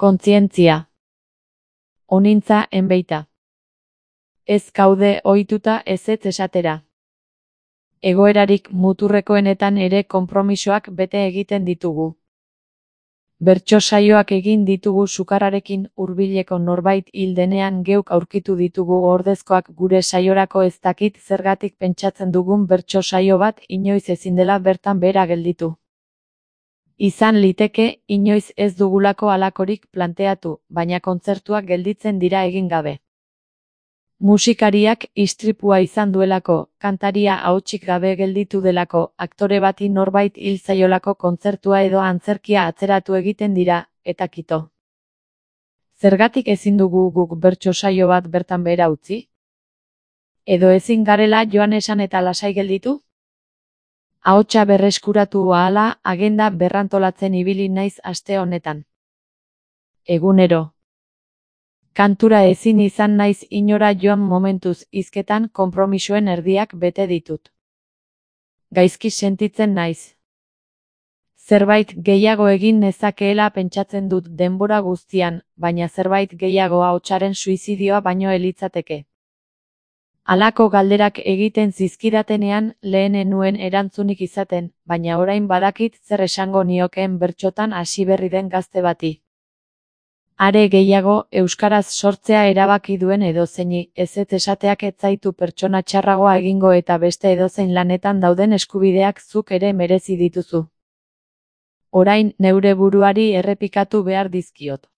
Kontzientzia. Onintza enbeita. Ez gaude ohituta ezetz esatera. Egoerarik muturrekoenetan ere konpromisoak bete egiten ditugu. Bertso saioak egin ditugu sukarrarekin, hurbileko norbait hil denean geuk aurkitu ditugu ordezkoak gure saiorako, ez dakit zergatik pentsatzen dugun bertso saio bat inoiz ezin dela bertan behera gelditu. Izan liteke inoiz ez dugulako halakorik planteatu, baina kontzertuak gelditzen dira egin gabe. Musikariak istripua izan duelako, kantaria ahotsik gabe gelditu delako, aktore bati norbait hil zaiolako, kontzertua edo antzerkia atzeratu egiten dira, eta kito. Zergatik ezin dugu guk bertso saio bat bertan behera utzi? Edo ezin garela joan esan eta lasai gelditu? Ahotsa berreskuratu ahala, agenda berrantolatzen ibili naiz aste honetan. Egunero. Kantura ezin izan naiz inora joan momentuz, hizketan konpromisoen erdiak bete ditut. Gaizki sentitzen naiz. Zerbait gehiago egin nezakeela pentsatzen dut denbora guztian, baina zerbait gehiago ahotsaren suizidioa baino elitzateke. Halako galderak egiten zizkidatenean lehen ez nuen erantzunik izaten, baina orain badakit zer esango niokeen bertsotan hasi berri den gazte bati. Are gehiago, euskaraz sortzea erabaki duen edozeini, ezetz esateak ez zaitu pertsona txarragoa egingo, eta beste edozein lanetan dauden eskubideak zuk ere merezi dituzu. Orain neure buruari errepikatu behar dizkiot.